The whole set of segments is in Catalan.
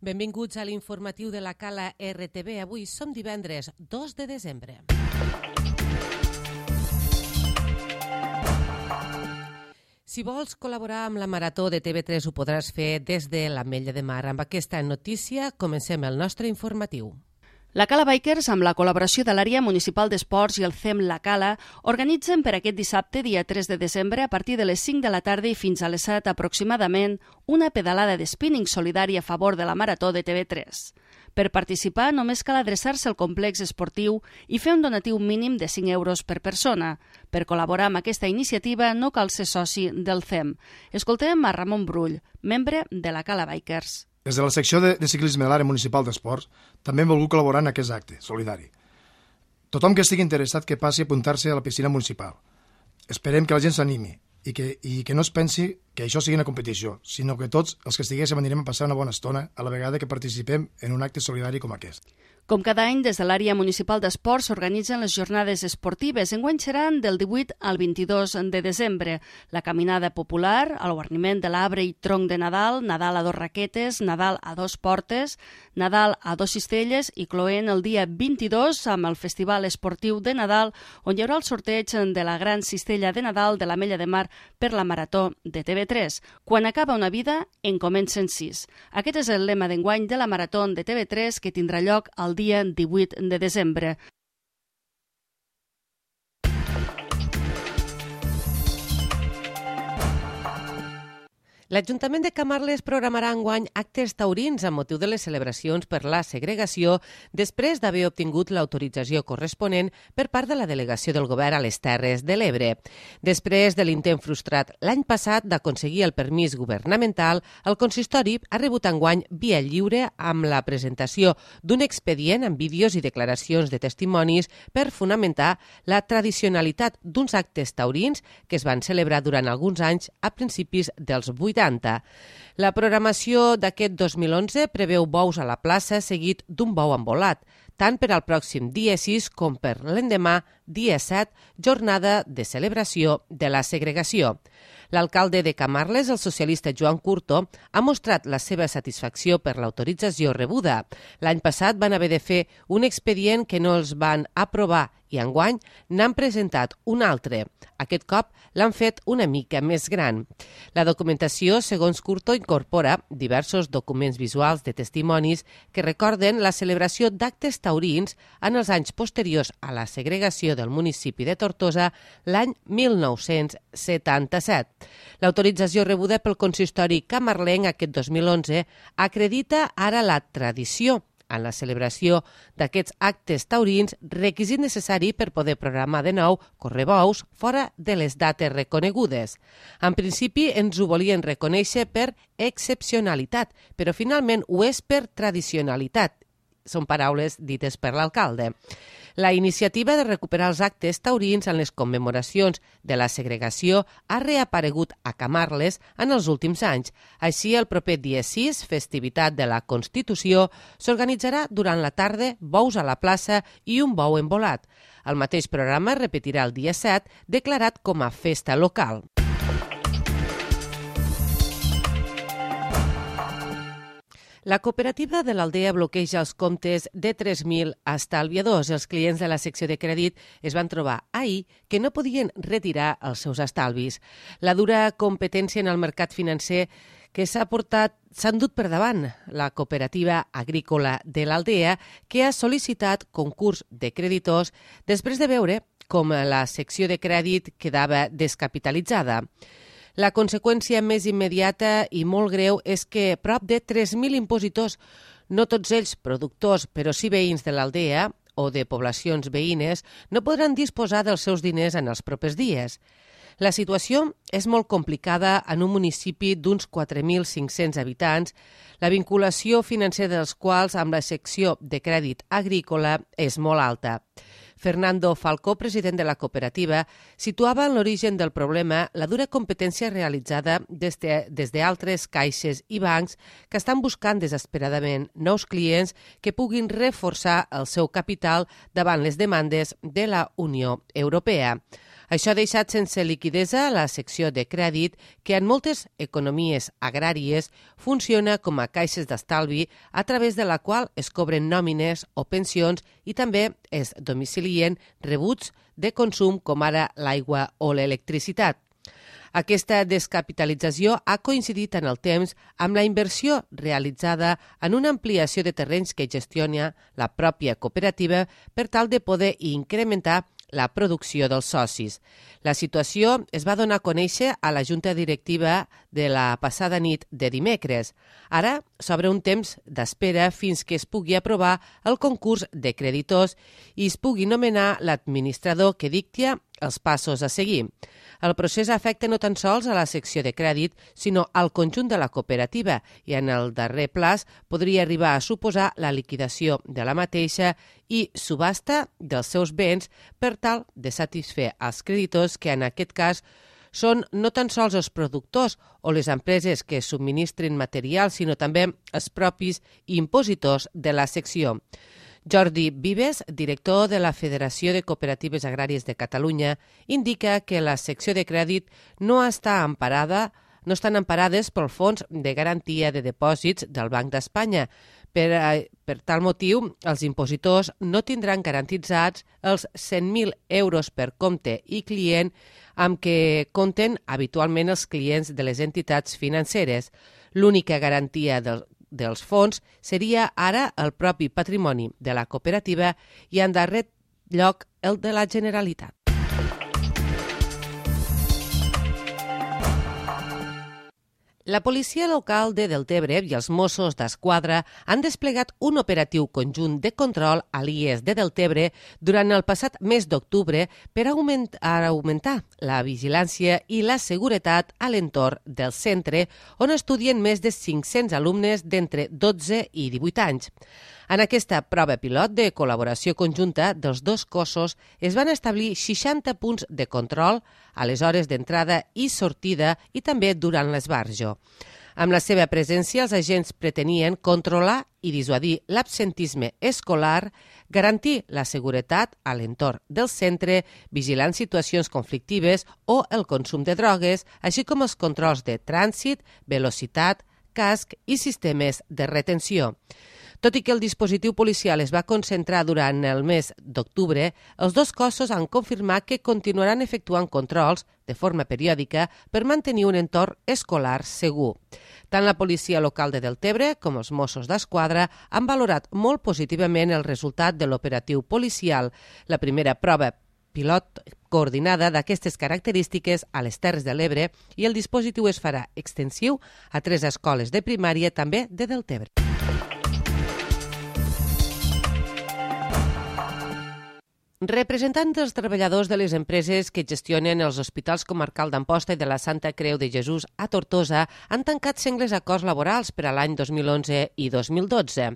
Benvinguts a l'informatiu de la Cala RTV. Avui som divendres 2 de desembre. Si vols col·laborar amb la Marató de TV3 ho podràs fer des de l'Ametlla de Mar. Amb aquesta notícia comencem el nostre informatiu. La Cala Bikers, amb la col·laboració de l'Àrea Municipal d'Esports i el CEM La Cala, organitzen per aquest dissabte, dia 3 de desembre, a partir de les 5 de la tarda i fins a les 7 aproximadament, una pedalada de spinning solidari a favor de la Marató de TV3. Per participar, només cal adreçar-se al complex esportiu i fer un donatiu mínim de 5 euros per persona. Per col·laborar amb aquesta iniciativa no cal ser soci del CEM. Escoltem a Ramon Brull, membre de la Cala Bikers. Des de la secció de ciclisme de l'Àrea Municipal d'Esports també hem volgut col·laborar en aquest acte solidari. Tothom que estigui interessat que passi a apuntar-se a la piscina municipal. Esperem que la gent s'animi i que no es pensi que això sigui una competició, sinó que tots els que estiguéssim anirem a passar una bona estona a la vegada que participem en un acte solidari com aquest. Com cada any, des de l'Àrea Municipal d'Esports s'organitzen les jornades esportives. Enguany seran del 18 al 22 de desembre. La caminada popular, el guarniment de l'arbre i tronc de Nadal, Nadal a 2 raquetes, Nadal a 2 portes, Nadal a 2 cistelles i cloent el dia 22 amb el Festival Esportiu de Nadal, on hi haurà el sorteig de la gran cistella de Nadal de l'Ametlla de Mar per la Marató de TV3. Quan acaba una vida, en comencen 6. Aquest és el lema d'enguany de la Marató de TV3 que tindrà lloc el dia 18 de desembre. L'Ajuntament de Camarles programarà enguany actes taurins amb motiu de les celebracions per la segregació després d'haver obtingut l'autorització corresponent per part de la delegació del govern a les Terres de l'Ebre. Després de l'intent frustrat l'any passat d'aconseguir el permís governamental, el consistori ha rebut enguany via lliure amb la presentació d'un expedient amb vídeos i declaracions de testimonis per fonamentar la tradicionalitat d'uns actes taurins que es van celebrar durant alguns anys a principis dels 80. La programació d'aquest 2011 preveu bous a la plaça seguit d'un bou embolat, tant per al pròxim dia 6 com per l'endemà, dia 7, jornada de celebració de la segregació. L'alcalde de Camarles, el socialista Joan Curto, ha mostrat la seva satisfacció per l'autorització rebuda. L'any passat van haver de fer un expedient que no els van aprovar i enguany n'han presentat un altre. Aquest cop l'han fet una mica més gran. La documentació, segons Curto, incorpora diversos documents visuals de testimonis que recorden la celebració d'actes taurins en els anys posteriors a la segregació del municipi de Tortosa l'any 1977. L'autorització rebuda pel consistori camarlenc aquest 2011 acredita ara la tradició en la celebració d'aquests actes taurins, requisit necessari per poder programar de nou correbous fora de les dates reconegudes. En principi ens ho volien reconèixer per excepcionalitat, però finalment ho és per tradicionalitat. Són paraules dites per l'alcalde. La iniciativa de recuperar els actes taurins en les commemoracions de la segregació ha reaparegut a Camarles en els últims anys. Així, el proper dia 6, festivitat de la Constitució, s'organitzarà durant la tarda bous a la plaça i un bou embolat. El mateix programa es repetirà el dia 7, declarat com a festa local. La cooperativa de l'Aldea bloqueja els comptes de 3.000 estalviadors. Els clients de la secció de crèdit es van trobar ahir que no podien retirar els seus estalvis. La dura competència en el mercat financer que s'ha endut per davant la cooperativa agrícola de l'Aldea, que ha sol·licitat concurs de creditors després de veure com la secció de crèdit quedava descapitalitzada. La conseqüència més immediata i molt greu és que prop de 3.000 impositors, no tots ells productors, però sí veïns de l'Aldea o de poblacions veïnes, no podran disposar dels seus diners en els propers dies. La situació és molt complicada en un municipi d'uns 4.500 habitants, la vinculació financera dels quals amb la secció de crèdit agrícola és molt alta. Fernando Falcó, president de la cooperativa, situava en l'origen del problema la dura competència realitzada des d'altres caixes i bancs que estan buscant desesperadament nous clients que puguin reforçar el seu capital davant les demandes de la Unió Europea. Això ha deixat sense liquidesa la secció de crèdit que en moltes economies agràries funciona com a caixes d'estalvi a través de la qual es cobren nòmines o pensions i també es domicilien rebuts de consum com ara l'aigua o l'electricitat. Aquesta descapitalització ha coincidit en el temps amb la inversió realitzada en una ampliació de terrenys que gestiona la pròpia cooperativa per tal de poder incrementar la producció dels socis. La situació es va donar a conèixer a la Junta Directiva de la passada nit de dimecres. Ara s'obre un temps d'espera fins que es pugui aprovar el concurs de creditors i es pugui nomenar l'administrador que dicta els passos a seguir. El procés afecta no tan sols a la secció de crèdit, sinó al conjunt de la cooperativa i en el darrer plaç podria arribar a suposar la liquidació de la mateixa i subhasta dels seus béns per tal de satisfer els creditors que en aquest cas són no tan sols els productors o les empreses que subministren material, sinó també els propis impositors de la secció. Jordi Vives, director de la Federació de Cooperatives Agràries de Catalunya, indica que la secció de crèdit no estan emparades pel Fons de Garantia de Depòsits del Banc d'Espanya. Per tal motiu, els impositors no tindran garantitzats els 100.000 euros per compte i client amb què compten habitualment els clients de les entitats financeres. L'única garantia dels fons seria ara el propi patrimoni de la cooperativa i en darrer lloc el de la Generalitat. La policia local de Deltebre i els Mossos d'Esquadra han desplegat un operatiu conjunt de control a l'IES de Deltebre durant el passat mes d'octubre per augmentar la vigilància i la seguretat a l'entorn del centre on estudien més de 500 alumnes d'entre 12 i 18 anys. En aquesta prova pilot de col·laboració conjunta dels dos cossos es van establir 60 punts de control a les hores d'entrada i sortida i també durant l'esbarjo. Amb la seva presència, els agents pretenien controlar i dissuadir l'absentisme escolar, garantir la seguretat a l'entorn del centre, vigilant situacions conflictives o el consum de drogues, així com els controls de trànsit, velocitat, casc i sistemes de retenció. Tot i que el dispositiu policial es va concentrar durant el mes d'octubre, els dos cossos han confirmat que continuaran efectuant controls de forma periòdica per mantenir un entorn escolar segur. Tant la policia local de Deltebre com els Mossos d'Esquadra han valorat molt positivament el resultat de l'operatiu policial, la primera prova pilot coordinada d'aquestes característiques a les Terres de l'Ebre, i el dispositiu es farà extensiu a 3 escoles de primària també de Deltebre. Representants dels treballadors de les empreses que gestionen els hospitals comarcal d'Amposta i de la Santa Creu de Jesús a Tortosa han tancat sengles acords laborals per a l'any 2011 i 2012.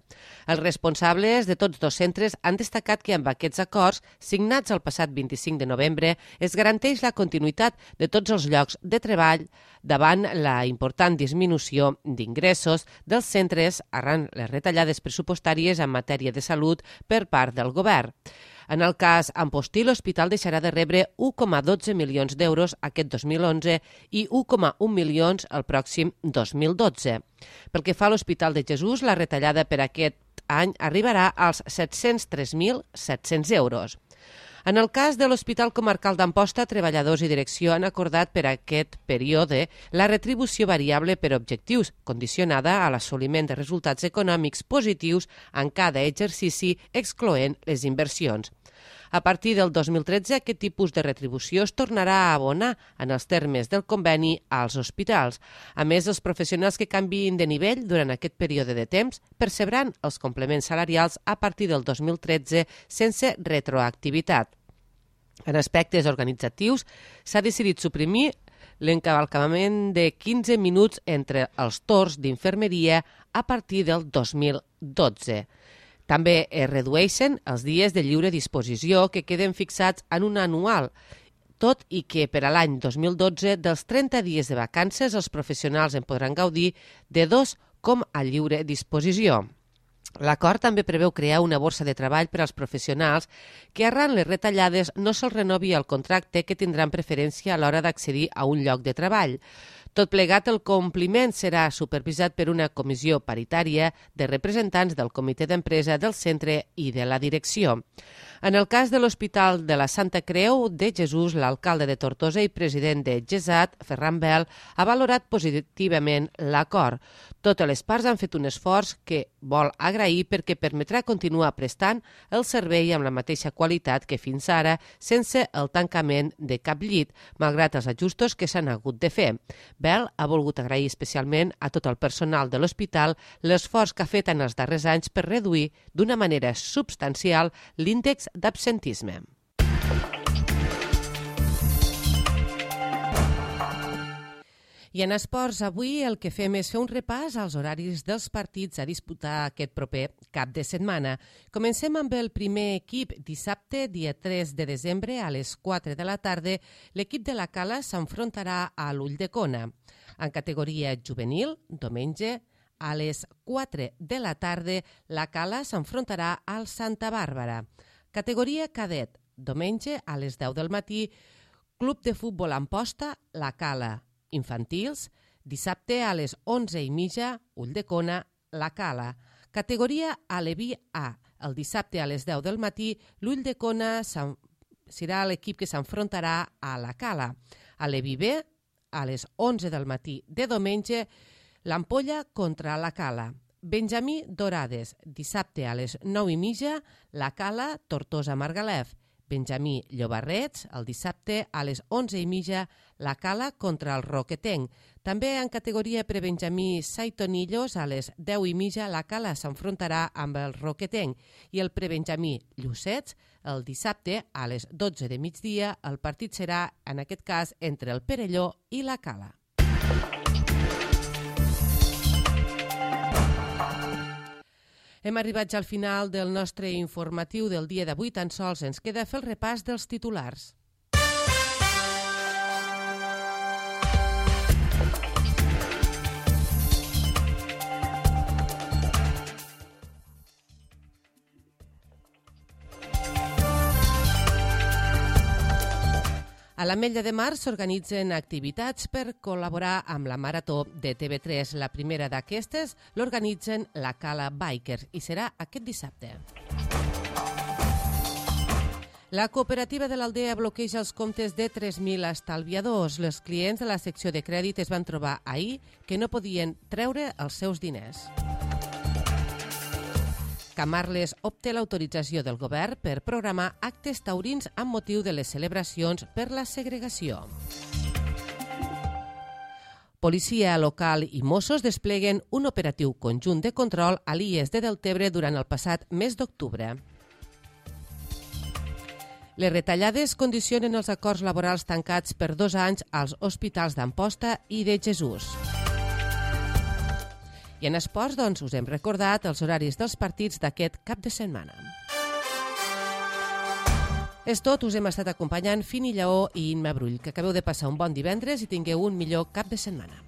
Els responsables de tots dos centres han destacat que amb aquests acords, signats el passat 25 de novembre, es garanteix la continuïtat de tots els llocs de treball davant la important disminució d'ingressos dels centres arran les retallades pressupostàries en matèria de salut per part del govern. En el cas Ampostí, l'hospital deixarà de rebre 1,12 milions d'euros aquest 2011 i 1,1 milions el pròxim 2012. Pel que fa a l'Hospital de Jesús, la retallada per aquest any arribarà als 703.700 euros. En el cas de l'Hospital Comarcal d'Amposta, treballadors i direcció han acordat per a aquest període la retribució variable per objectius, condicionada a l'assoliment de resultats econòmics positius en cada exercici, excloent les inversions. A partir del 2013, aquest tipus de retribució es tornarà a abonar en els termes del conveni als hospitals. A més, els professionals que canviïn de nivell durant aquest període de temps percebran els complements salarials a partir del 2013 sense retroactivitat. En aspectes organitzatius, s'ha decidit suprimir l'encavalcament de 15 minuts entre els torns d'infermeria a partir del 2012. També es redueixen els dies de lliure disposició que queden fixats en un anual, tot i que per a l'any 2012 dels 30 dies de vacances els professionals en podran gaudir de 2 com a lliure disposició. L'acord també preveu crear una borsa de treball per als professionals que arran les retallades no se'ls renovi el contracte que tindran preferència a l'hora d'accedir a un lloc de treball. Tot plegat, el compliment serà supervisat per una comissió paritària de representants del comitè d'empresa del centre i de la direcció. En el cas de l'Hospital de la Santa Creu de Jesús, l'alcalde de Tortosa i president de GESAT, Ferran Bel, ha valorat positivament l'acord. Totes les parts han fet un esforç que vol agrair perquè permetrà continuar prestant el servei amb la mateixa qualitat que fins ara, sense el tancament de cap llit, malgrat els ajustos que s'han hagut de fer. Bel ha volgut agrair especialment a tot el personal de l'hospital l'esforç que ha fet en els darrers anys per reduir d'una manera substancial l'índex d'absentisme. I en esports, avui el que fem és fer un repàs als horaris dels partits a disputar aquest proper cap de setmana. Comencem amb el primer equip. Dissabte, dia 3 de desembre, a les 4 de la tarda, l'equip de la Cala s'enfrontarà a l'Ulldecona. En categoria juvenil, diumenge, a les 4 de la tarda, la Cala s'enfrontarà al Santa Bàrbara. Categoria cadet, diumenge, a les 10 del matí, Club de Futbol Amposta, la Cala. Infantils, dissabte a les 11:30, Ulldecona, la Cala. Categoria Aleví A, el dissabte a les 10 del matí, l'Ulldecona serà l'equip que s'enfrontarà a la Cala. Aleví B, a les 11 del matí de diumenge, l'Ampolla contra la Cala. Benjamí Dorades, dissabte a les 9:30, la Cala, Tortosa Margalef. Benjamí Llobarrets, el dissabte a les 11:30, la Cala contra el Roquetenc. També en categoria prebenjamí Saitonillos, a les 10:30, la Cala s'enfrontarà amb el Roquetenc. I el prebenjamí Llucets, el dissabte a les 12 de migdia, el partit serà, en aquest cas, entre el Perelló i la Cala. Hem arribat ja al final del nostre informatiu del dia d'avui. Tan sols ens queda fer el repàs dels titulars. A l'Ametlla de Mar s'organitzen activitats per col·laborar amb la Marató de TV3. La primera d'aquestes l'organitzen la Cala Bikers i serà aquest dissabte. La cooperativa de l'Aldea bloqueja els comptes de 3.000 estalviadors. Els clients de la secció de crèdit es van trobar ahir que no podien treure els seus diners. Camarles obté l'autorització del govern per programar actes taurins amb motiu de les celebracions per la segregació. Policia local i Mossos despleguen un operatiu conjunt de control a l'IES de Deltebre durant el passat mes d'octubre. Les retallades condicionen els acords laborals tancats per 2 anys als hospitals d'Amposta i de Jesús. I en esports, doncs, us hem recordat els horaris dels partits d'aquest cap de setmana. És tot, us hem estat acompanyant Fini Lleó i Imma Brull. Que acabeu de passar un bon divendres i tingueu un millor cap de setmana.